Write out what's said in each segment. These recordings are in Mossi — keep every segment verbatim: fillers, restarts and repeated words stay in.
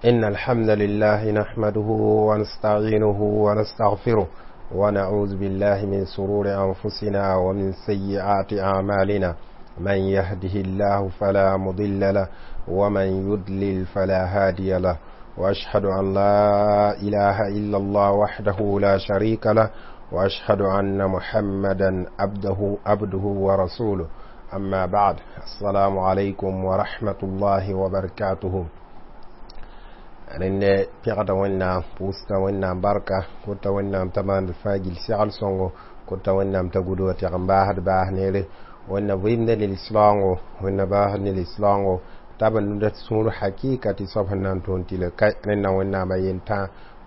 إن الحمد لله نحمده ونستعينه ونستغفره ونعوذ بالله من سرور أنفسنا ومن سيئات أعمالنا من يهده الله فلا مضل له ومن يضلل فلا هادي له وأشهد أن لا إله إلا الله وحده لا شريك له وأشهد أن محمدا عبده عبده ورسوله أما بعد السلام عليكم ورحمة الله وبركاته rẽnd pɛgda wẽnnaam pʋʋsda wẽnnaam barka kota wẽnnaam t'a maand fãa gill segl sõngo kota wẽnnaam t'a gudga tɩg n baasd baas neere wẽnna vɩɩmda ne lislaoongo wẽnna baasd ne lislaoongo t'a b nunda sũur hakɩɩka tɩ soab sẽn na n tõon tɩ le ka rẽnna wẽnnaam a yentã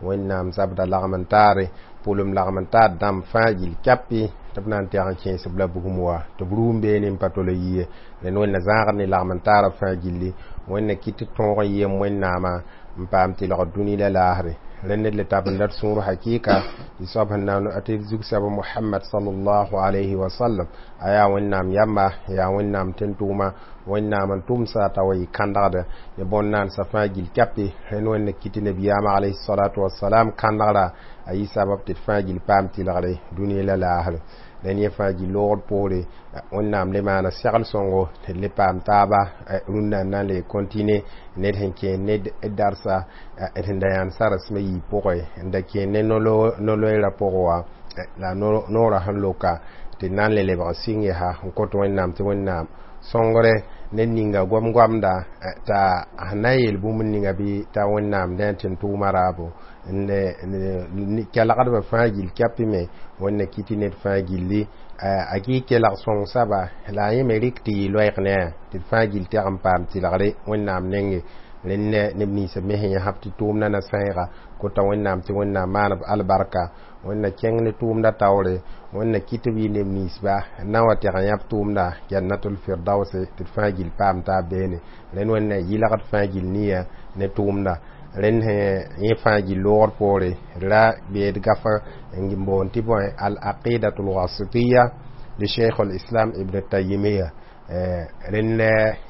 wẽnnaam zabda lagm n taare pʋlem lagm n taar dãmb fãa gill kɛpɩ tɩ b na n tɛg n kẽes b la bugum wa tɩ b rũum beene n pa tol yie rẽnd wẽnna zãagd ne lagm n taara fãa gilli wẽnna kɩt tɩ tõog n yem wẽnnaamã n paam tɩlg dũni la laasre rẽnd le tabenda d sũur hakɩɩka tɩ soab sẽn na tɩ zug-soab Mohamad sallallahu alayhi wa sallam a yaa wẽnnaam yamba yaa wẽnnaam tẽn-tʋʋma wẽnnaam n tʋmsa t'a wa yɩ kãndgda ne bõn-naandsã fãa gill kɛpɩ rẽnd wẽnna kɩt tɩ nabiyaamã alayhi salatu wasalam kãndgra a yɩ sabab tɩ d fãa gill paam tɩlgre dũni la laasre rẽnd yẽ fãa gill loogd poore wẽnnaam le maana segl sõngo tɩ d le paam taaba rũnnã n na n le contine ned sẽn kẽer ne darsa d sẽn da yãnd saresmã yiib pʋgẽ n da kẽer ne no-loeerã pʋgẽ wã la noorã sẽn loka tɩ d na n le lebg n sɩng yaa n kõt wẽnnaam tɩ wẽnnaam sõngre ned ninga goam-goamda t'a sẽn na n yeel bũmb ninga bɩ t'a wẽnnaam dẽ tẽn-tʋʋma raabo kelgdbã fãa gill kɛpɩ me wẽnna kɩ tɩ ned fãa gilli a kɩ kelg sõng saba la a yẽ me rɩk tɩ yɩ loɛɛg ne a tɩ d fãa gill tɛg n paam tɩlgre wẽnnaam nenge rẽnd neb ninsã me sẽn yãsb tɩ tʋʋmdã na sãeega kota wẽnnaam tɩ wẽnnaam maan b albarka wẽnna kẽng ne tʋʋmdã taoore wẽnna kɩt b yɩ neb ninsba n na n wa tɛg n yãb tʋʋmda jannatul firdause tɩ d fãa gill paam taab beene rẽnd wẽnna yɩlgd fãa gill nia ne tʋʋmda rẽnd yẽ fãa gill loogd poore ra beed gafa n boond tɩ bõe al aqidatul wasitiya li cheikh al-islam ibn taymiya rẽnd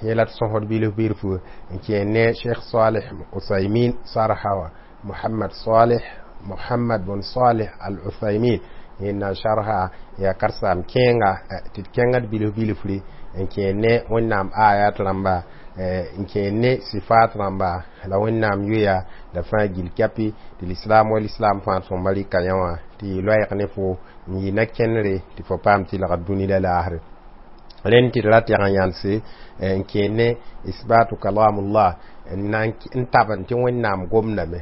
yẽ la d sõsd bilf bilfu n kẽer ne cheikh salih usaymin sarha wã muhammad salih muhammad bn salih al uthaymin yẽnda n sarha yaa karsaam kẽenga tɩ d kẽngd bilf bilfri n kẽer ne wẽnnaam ayat rãmba n kẽer ne sifat rãmba la wẽnnaam yoya la fãa gill kɛpɩ tɩ lislaam wa lislaam fãa sõmba rɩka yã wã tɩ yɩ loɛɛg ne fo n yɩ na-kẽnere tɩ fo paam tɩlgd dũni la laasre rẽnd tɩ d ra tɛg n yãnse n kẽer ne isbatu kalamullah n tabn tɩ wẽnnaam gomdame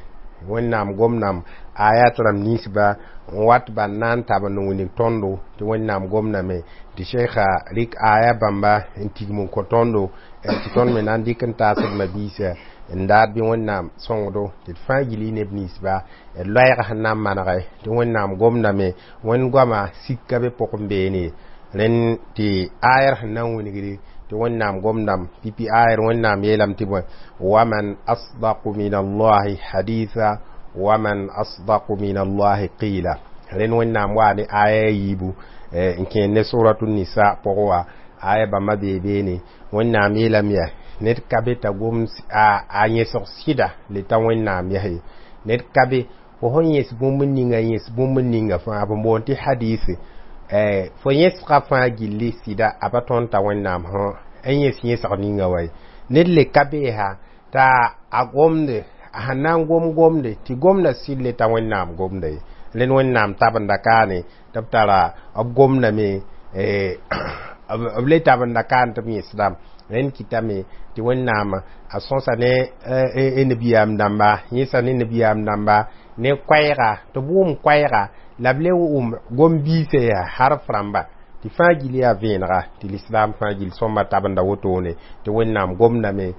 wẽnnaam gomdame ayat rãmb ninsba n wat ban na n tab n wilg tõndo tɩ wẽnnaam gomdame tɩ sheikha rɩk aya bãmba n tigm n kõ tõndo tɩ tõnd me na n dɩk n taas d mabiisa n daad bɩ wẽnnaam sõngdo tɩ d fãa gill y neb ninsba d loɛɛg sẽn na n manege tɩ wẽnnaam gomdame wẽnd goama sika be pʋgẽ beene rẽnd tɩ ayr sẽn na n wilgre tɩ wẽnnaam gomdame pipi ayr wẽnnaam yeelame tɩ bõe waman asdaqu min allahi haditha waman asdaqu min allahi qila rẽnd wẽnnaam waa ne aya a yiibu n kẽer ne suratu nisa pʋgẽ wã aya bãmba bee beene wẽnnaam yeelame yaa ned ka be t'a gom a yẽsg sɩda le t'a wẽnnaam yaa ye ned ka be fo sẽn yẽs bũmb ninga yẽs bũmb ninga fãa b boond tɩ hadisi fo yẽsga fãa gilli sɩda a pa tõnd t'a wẽnnaam sã n yẽs yẽsg ninga wa ye ned le ka bee ha t'a a gomde a sẽn na n gom gomde tɩ gomda sɩd le t'a wẽnnaam gomda ye rẽnd wẽnnaam tabenda kaane tɩ b tara b gomdame b le tabenda kaan tɩ b yẽsdame rẽnd kɩtame tɩ wẽnnaam a sõsa ne nabiyaam dãmba yẽsa ne nabiyaam dãmba ne koɛɛga tɩ b wʋm koɛɛga la b le wʋm gom-biisã yaa harf rãmba tɩ fãa gill yaa vẽenega tɩ lislaam fãa gill sõmba tabenda wotone tɩ wẽnnaam gomdame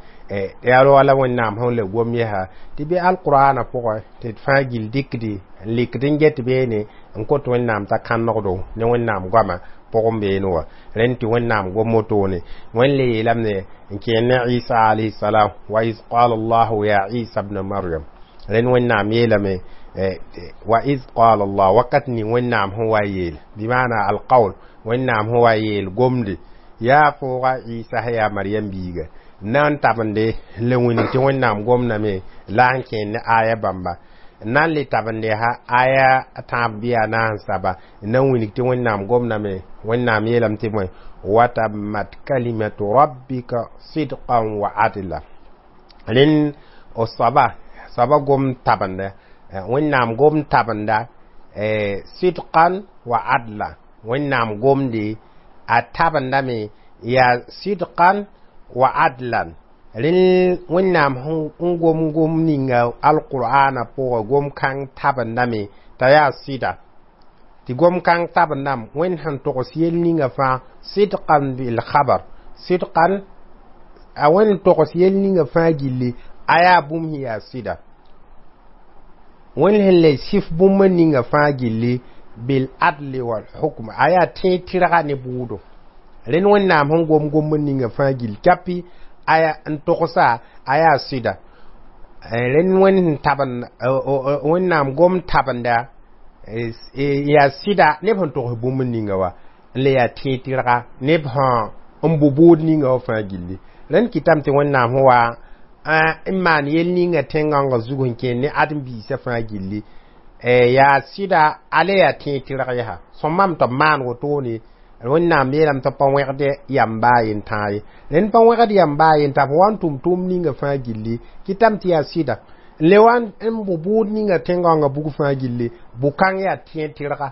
yaa wala wẽnnaam sẽn le gom yɛsa tɩ bɩ alqurana pʋgẽ tɩ d fãa gill dɩkdi n likd n get beene n kot wẽnnaam t'a kãnegdo ne wẽnnaam goama pʋgẽ beene wã rẽnd tɩ wẽnnaam gom wotone wẽnd le yeelame n kẽer ne isa alayhi salam wa iz qala allahu ya isa bna maryam rẽnd wẽnnaam yeelame wa iz qala allah wakat ning wẽnnaam sẽn wa yeel bɩmaana alqawl wẽnnaam sẽn wa yeel gomde yaa fooga isa sã yaa maryam biiga Na n tabende le wĩnig tɩ Wẽnnaam gomdame la n kẽer ne aya bãmba. Na n le tabende ha aya tãab bɩ a naas n saba n na n wilg tɩ Wẽnnaam gomdame. Wẽnnaam yeelame tɩ bõe? Watammat kalimatu rabbika sidqan wa adla. Rẽnd o soaba soaba gom tabenda, Wẽnnaam gom tabenda sidqan wa adla. Wẽnnaam gomde a tabendame yaa sidqan wa adlan. Rẽnd Wẽnnaam n gom gom ninga alqur'ana pʋgã, gom kãng tabendame t'a yaa sɩda, tɩ gom kãng tabendame Wẽnd sẽn togs yell ninga fãa sidqan bil khabar sidqan. A Wẽnd togs yell ninga fãa gilli a yaa bũmb sẽn yaa sɩda. Wẽnd sẽn le sɩf bũmb ninga fãa gilli bil adli wal hukm, a yaa tẽeg tɩrga ne bʋʋdo. Rẽnd Wẽnnaam sẽn gom gomb ninga fãa gill kapi aya n togsa a yaa sɩda. Rẽnd Wẽnd sẽn tabend Wẽnnaam gom tabenda yaa sɩda neb sẽn togs bũmb ninga wa n le yaa tẽeg tɩrga neb sã n bʋ bʋʋd ninga wã fãa gilli. Rẽnd kɩtame tɩ Wẽnnaam sẽn wa n maan yell ninga tẽn-gãongã zug n kẽer ne ãdem-biisã fãa gilli yaa sɩda, ale yaa tẽeg tɩrg yaa sõmam tɩ b maan wotone. Wẽnnaam yeelame tɩ pa wẽgd yam baa yen tãa ye. Rẽnd pa wẽgd yam baa yen tã, f wa n tʋm tʋʋm ninga fãa gilli kɩtame tɩ yaa sɩda n le wa n bʋ bʋʋd ninga tẽn-gãongã bug fãa gilli bʋ-kãng yaa tẽeg tɩrga,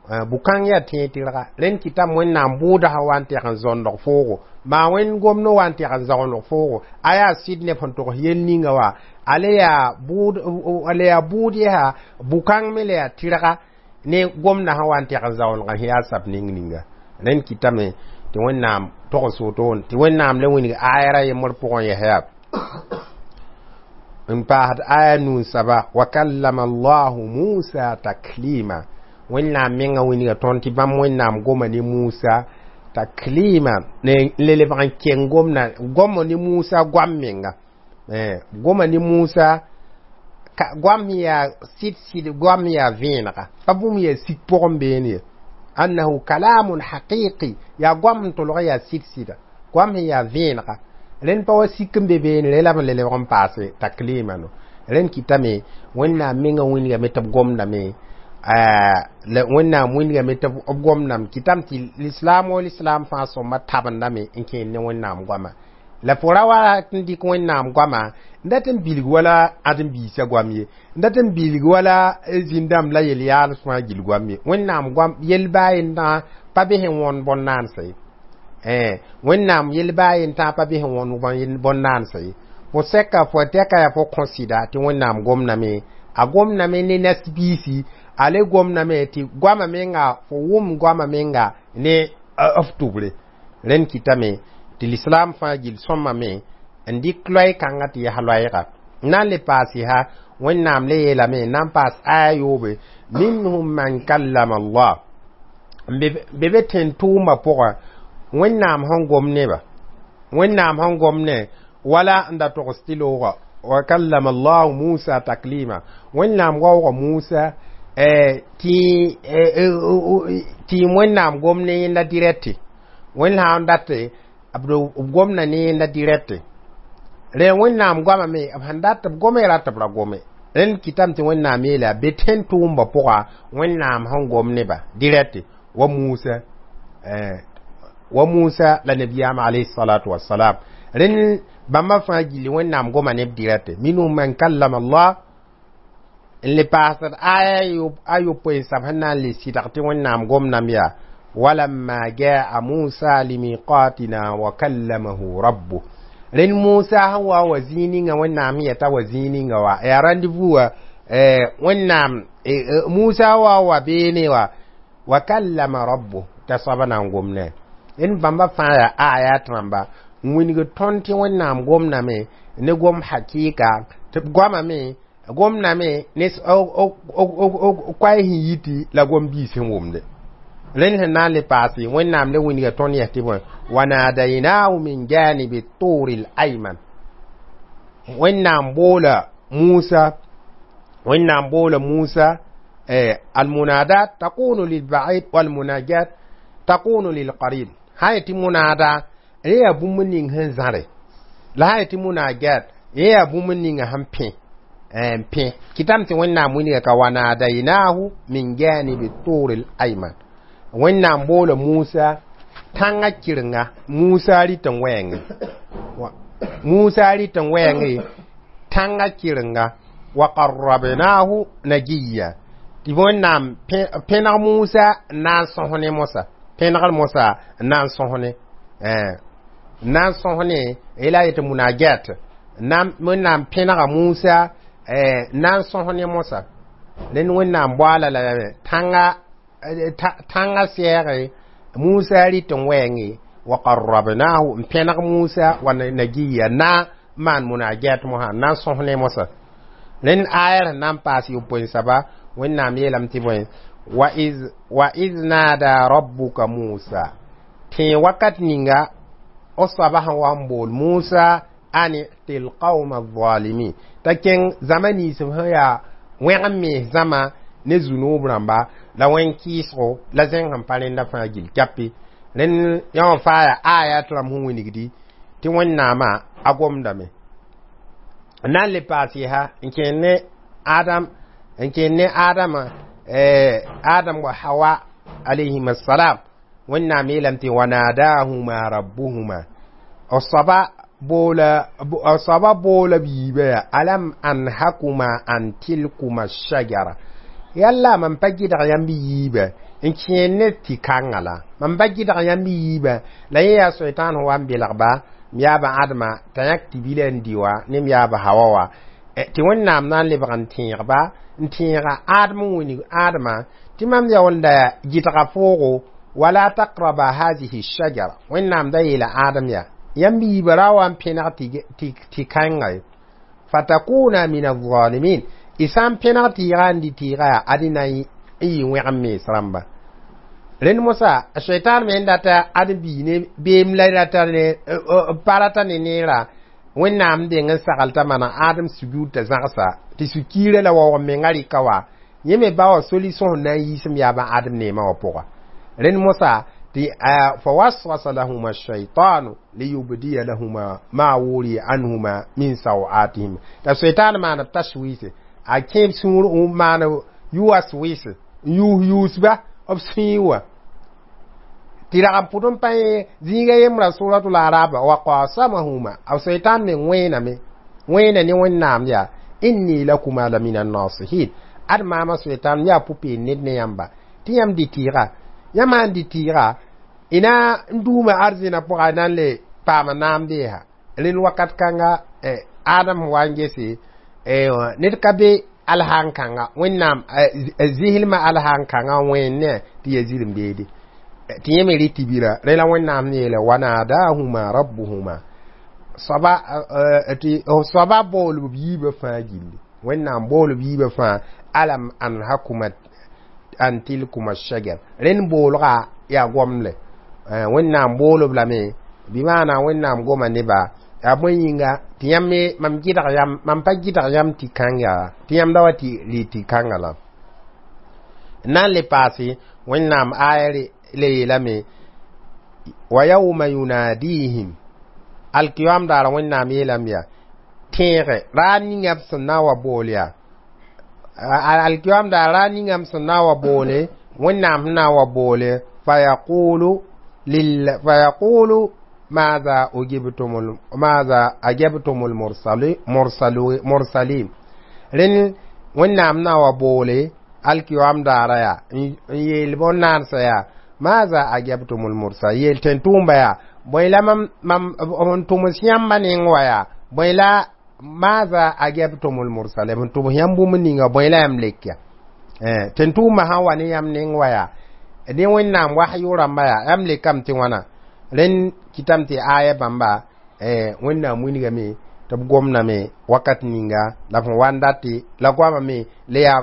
bʋ-kãng yaa tẽeg tɩrga. Rẽnd kɩtame Wẽnnaam bʋʋda sã wa n tɛg n zõndg foogo maa Wẽnd gomd wa n tɛg n zaoondg foogo a yaa sɩd neb sẽn togs yell ninga wa ale yaa bʋʋd, ale yaa bʋʋd yaa bʋ-kãng me le yaa tɩrga ne gomdã sã wa n tɛg n zaoondgã sẽn yaa sab ning ninga. Rẽnd kɩtame tɩ Wẽnnaam togs wotone tɩ Wẽnnaam le wilg aya ra yembr pʋgẽ yɛs yaa n paasd aya nu n saba wa kallama Allahu Musa taklima. Wẽnnaam menga wilga tõnd tɩ bãmb Wẽnnaam goma ne Musa taklima ne le lebg n keng gomda goma ne Musa goam menga, goma ne Musa goam sẽn yaa sɩd sɩd, goam sẽn yaa vẽenega pa bũmb yaa sik pʋgẽ beene ye annahu kalamun haqiqi, yaa goam n tolg yaa sɩd sɩda, goam sẽn yaa vẽenega. Rẽnd pa wa sik n be beene re la b le lebg n paase taklima no. Rẽnd kɩtame Wẽnnaam menga wilgame tɩ b gomdame, Wẽnnaam wilgame tɩ b gomdame kɩtame tɩ lislaam o lislaam fãa sõma tabendame n kẽer ne Wẽnnaam goama. La fo ra wa n dɩk Wẽnnaam goama n dat n bilg wala ãdem-biisã goam ye, n dat n bilg wala zĩn-dãmb la yel-yaals fãa gill goam ye. Wẽnnaam goam yel baa yentã pa be sẽn wõnd bõn-naansa ye, Wẽnnaam yel baa yentã pa be sẽn wõnd bõn-naansa ye. Fo sɛka fo tɛka yaa fo kõ sɩda tɩ Wẽnnaam gomdame, a gomdame ne nas-biisi, a le gomdame tɩ goama menga fo wʋm goama menga ne f tʋbre. Rẽnd kɩtame tɩ lislaam fãa gill sõmame n dɩk loɛɛ-kãngã tɩ yaa loɛɛga. N na n le paase ha Wẽnnaam le yeelame n na n paas aya yoobe minhum man kallama Allah be be tẽn-tʋʋmã pʋgã Wẽnnaam sẽn gom neba, Wẽnnaam sẽn gom ne wala n da togs tɩ loogã wa kallama Allahu Musa taklima. Wẽnnaam waooga Musa tɩ tɩ Wẽnnaam gom ne yẽnda dirɛte. Wẽnd sã n date b gomda ne yẽnda dirɛte rẽ Wẽnnaam goama me b sẽn dat b gome rat b ra gome. Rẽnd kɩtame tɩ Wẽnnaam yeela be tẽn-tʋʋmbã pʋga Wẽnnaam sẽn gom neba dirɛte wa Musa wa Musa la nabiyaam alayhi salatu wassalam. Rẽnd bãmba fãa gilli Wẽnnaam goma neb dirɛte minhum man kallama Allah n le paasd aya a yopoe n sab sẽn na n le sɩdg tɩ Wẽnnaam gomdame yaa walamma jaa Musa limiqatina wa kallamahu rabbuh. Rẽnd Musa sẽn wa wa zĩig ninga Wẽnnaam sẽn yɛta wa zĩig ninga wa yaa rendez-vous wa Wẽnnaam Musa wa wa beene wa wa kallama rabbuh t'a soaba na n gom ne. Rẽnd bãmba fãa yaa ayat rãmba n wilg tõnd tɩ Wẽnnaam gomdame ne gom hakɩɩka tɩ b goamame gomdame ne koɛɛ sẽn yiti la gom biis sẽn wʋmde. Rẽnd sẽn na n le paase Wẽnnaam le wilga tõnd yɛs tɩ bõe wanadainahu min janibi turi l ayman. Wẽnnaam boola Musa, Wẽnnaam boola Musa almunadat takunu lilbaid walmunajat takunu lilqarib. Sã n tɩ munada rẽ yaa bũmb ning sẽn zãre La sã n yetɩ munajat yẽ yaa bũmb ninga sẽn pẽ n pẽ kɩtame tɩ Wẽnnaam wilga ka wanadainahu min janibi turil ayman. Wẽnnaam boola Musa tãngã kɩrenga Musa rɩt n wɛɛngẽ Musa rɩt n wɛɛngẽ tãngã kɩrenga wa qarrabnahu najiya tɩ Wẽnnaam pẽneg Musa n na n sõs ne mosa pẽnegr mosa n na n sõs ne n na n sõs ne la a yetɩ munajat Wẽnnaam pẽnega Musa n na n sõs ne mosa rẽnd Wẽnnaam boaala la tãngã tãngã sɛɛge Musa rɩt n wɛɛngẽ wa qarrabnahu n pẽneg Musa wa najiya na maan munajat mosã n na n sõs ne mosa rẽnd ayar sẽn na n paas yopoe soaba Wẽnnaam yeelame tɩ bõe wa iz wa iz nada rabbuka Musa tẽ wakat ninga o soaba sẽn wa n bool Musa an i'ti lqauma alzalimin t'a kẽng zãma nins b sẽn yaa wẽg n mees zãma ne zunub rãmba la wẽn-kɩɩsgo la zẽng sẽn pa rẽnda fãa gill kapi rẽnd yã wã faa yaa ayat rãmb sẽn wilgdi tɩ Wẽnnaamã a gomdame n na n le paas yɛsa n kẽer ne Adam n kẽer ne Adama Adam wa Hawa alayhim assalam Wẽnnaam yeelame tɩ wanadahuma rabbuhuma b soaba boola b soaba boola b yiibã yaa alam anhakuma an tilkuma shajara yalla mam pa gɩdg yãmb yiibã n kẽer ne tɩ kãngã la mam pa gɩdg yãmb yiibã la yẽ yaa soitan sẽn wa n belgba m yaaba Adama t'a yãk tɩ bila n dɩ wa ne m yaaba Hawa wa tɩ Wẽnnaam na n lebg n tẽegba n tẽega Adem n wilg Adama tɩ mam yaoolda gɩdga foogo wala taqraba hazihi shajara Wẽnnaam da yeela Adem yaa yãmb yiibã ra wa n pẽneg tɩ kãnga ye fatakuna min alzalimin y sã n pẽneg tɩɩga n dɩ tɩɩga yaa adi na n yɩ wẽg n mees rãmba rẽnd mosa shaitan me n data ad bii ne beem la rata ne pa rata ne neera Wẽnnaam deng n sagl t'a maneg Adem sujud t'a zãgsa tɩ sũ-kiirã la waoog n menga rɩka wa yẽ me ba wa solution sẽn na n yiisem yaabã Adem neemã wã pʋga rẽnd mosa tɩ fawaswasa lahuma shaitanu liyubdiya lahuma ma wuriya anhuma min sawatihim t'a shaitan maana tashwise a kẽeb sũur n maan yuas wɩse n yuus yuusba b sũyẽ wã tɩ rag n pʋd n pa yẽ zĩiga yembra suratul araba wa qasamahuma a shaitan me wẽename wẽena ne Wẽnnaam yaa inni lakuma la min annasihin ad maama shaitan yaa pʋ-peend ned ne yãmba tɩ yãmb dɩ tɩɩga yãmb sãn dɩ tɩɩga ina n duuma arzẽna pʋga na n le paama naam beesa rẽnd wakat kãnga Adam wa n gese ned ka be alhaan kãnga Wẽnnaam zislmã alhaan kãngã wẽenne tɩ ya zirem beede tɩ yẽ me rɩ tɩ bira rẽ la Wẽnnaam yeele wanadahuma rabbuhuma soaba tɩ soaba bool b yiibã fãa gilli Wẽnnaam bool b yiibã fãa alam anhakuma an tilkuma shajar rẽnd boolga yaa gomle Wẽnnaam bool-b lame bɩ maana Wẽnnaam goma neba yaa bõe yĩnga tɩ yãmb me mam gɩdg yãmb mam pa gɩdg yãmb tɩ kãnga tɩ yãmb da wa tɩ rɩ tɩ kãngã la n na n le paase Wẽnnaam aya le yeelame wa yawma yunadihim alkiyam daara Wẽnnaam yeelame yaa tẽege raar ninga b sẽn na n wa bool yaa alkiyam daar raar ninga b sẽn na n wa boole Wẽnnaam sẽn na n wa boole fayaqulu lil fayaqulu ماذا أجبتم ماذا أجبتم المرسلين مرسلين rẽnd Wẽnnaam na wa boole alkiyam daara yaa n yeel bõn-naansã yaa maza ajabtumul mursal yeel tẽn-tʋʋmba yaa bõe la mam mam n tʋms yãmba neng wa yaa bõe la maza ajabtumul mursal b n tʋms yãmb bũmb ninga bõe la yãmb lek ya tẽn-tʋʋmbã sã n wa ne yãmb neng wa yaa ne Wẽnnaam wasyo rãmba yaa yãmb lekame tɩ wãna rẽnd kɩtame tɩ aya bãmba Wẽnnaam wilgame tɩ b gomdame wakat ninga la b sẽn wa n date la goamame la yaa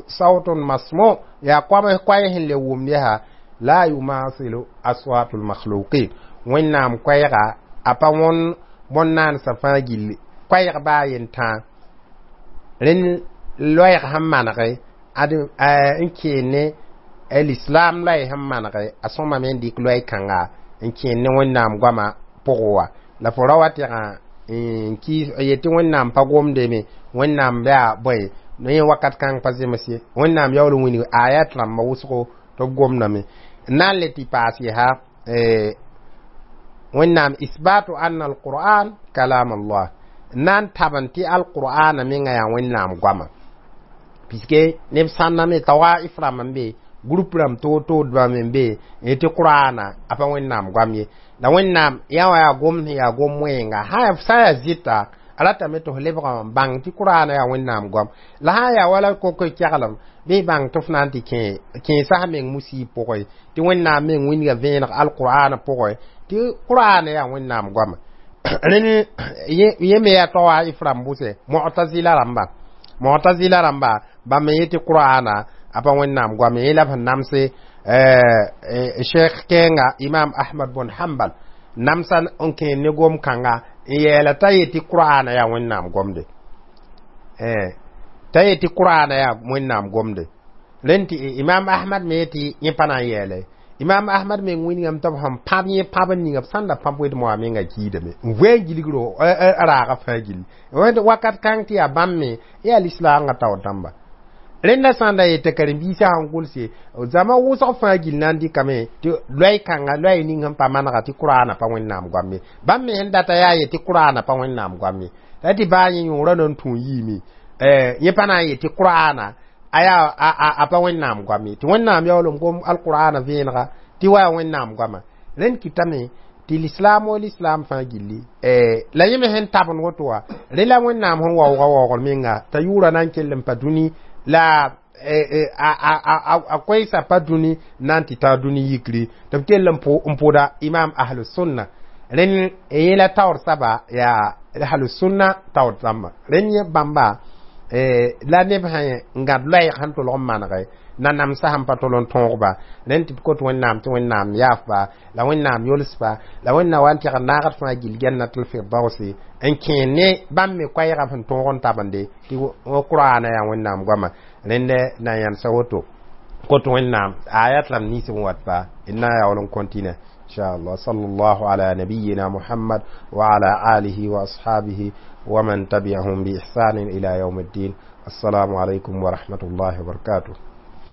sautun masmu yaa koam koɛɛ sẽn le wʋmd yaa la yumasilu aswatul makhluqin Wẽnnaam koɛɛga a pa wõn bõn-naansã fãa gilli koɛɛg baa yen tãa rẽnd loɛɛg sẽn manege ad n keen ne l'islam loɛɛ sẽn manege a sõmame n dɩk loɛɛ kãnga n kẽer ne Wẽnnaam goamã pʋgẽ wã la fo ra wa tɩgã n kɩɩs yetɩ Wẽnnaam pa gomdeme, Wẽnnaam yaa bõe yẽ wakat kãng pa zems ye, Wẽnnaam yaool n wilg ayat rãmba wʋsgo tɩ b gomdame n na n le tɩ paas yaa Wẽnnaam isbatu anna alquran kalam Allah, n na n tabn tɩ alqur'ana menga yaa Wẽnnaam goama, puisque neb sãnda me tawaif rãmb n be, groupe rãmb toor-toordbã me n be n yetɩ qur'ana a pa Wẽnnaam goam ye, la Wẽnnaam yã wã yaa gom sẽn yaa gom wẽenga sã n yaa zɩta a ratame tɩ f lebga n bãng tɩ qur'ana yaa Wẽnnaam goam, la sã n yaa wala kok keglem bɩ y bãng tɩ f na n tɩ kẽesa f meng musiib pʋgẽ tɩ Wẽnnaam meng wilga vẽeneg alqur'ana pʋgẽ tɩ qur'ana yaa Wẽnnaam goama. Rẽnd yẽ me yaa tawaif rãmb bʋse mu'tazila rãmba, mu'tazila rãmba bãmb me yetɩ qur'ana a pa Wẽnnaam goam yẽ la b sẽn namse cheikh kɛɛnga Imam Ahmad bun Hanbal namsa n kẽer ne gom kãnga n yɛɛla t'a yetɩ qur'ana yaa Wẽnnaam gomde, t'a yetɩ qur'ana yaa Wẽnnaam gomde. Rẽnd tɩ Imam Ahmad me yetɩ yẽ pa na n yɛɛle. Imam Ahmad meng wilgame tɩ b sẽn pãb yẽ pãb n ninga b sãn da pãb wed moa menga kiidame n voe n gilgro raaga fãa gill wakat kãng tɩ yaa bãmb me yaa lislaangã taoor dãmba. Rẽnda sã n da yetɩ karen-biisã sẽn gʋlse zãma wʋsg fãa gill na n dɩkame tɩ loɛɛ kãnga loɛɛ ning sẽn pa manega tɩ qur'ana pa Wẽnnaam goam ye, bãmb me sẽn data yaa ye tɩ qur'ana pa Wẽnnaam goam ye, la tɩ baa yẽ yõorã na n tũ n yiime yẽ pa na n yet tɩ qur'ana a yaa a pa Wẽnnaam goam ye, tɩ Wẽnnaam yaool n gom alqur'ana vẽenega tɩ wa yaa Wẽnnaam goama. Rẽnd kɩtame tɩ lislaam o lislaam fãa gilli la yẽ me sẽn tabend woto wã rẽ la Wẽnnaam sẽn waooga waoogr menga t'a yʋʋra na n kell n pa dũni la a koɛɛsa pa dũni na n tɩ ta dũni yikri tɩ b kell n pʋda imam ahlus sunna. Rẽnd yẽ la taoor saba yaa ahlus sunna taoor rãmba. Rẽnd yẽ bãmba la neb sã n gãd loɛɛg sẽn tolg n manege nanamsã sẽn pa tol n tõogba, rẽnd tɩ d kot Wẽnnaam tɩ Wẽnnaam yaafba la Wẽnnaam yolsba la Wẽnnaam wa n tɩg n naagd fãa gill Jannatul Firdausi n kẽer ne bãmb me koɛɛgã sẽn tõog n tabende tɩ qur'ana yaa Wẽnnaam goama. Rẽnd na yãnsa woto kot Wẽnnaam ayat rãmb nins n wat pa d na n yaool n continue inshallah. Sallallahu ala nabiyyina Muhammad wa ala alihi wa ashabihi wa man tabi'ahum bi ihsan ila yawm الدين. Assalamu alaikum wa rahmatullahi wa barakatuh.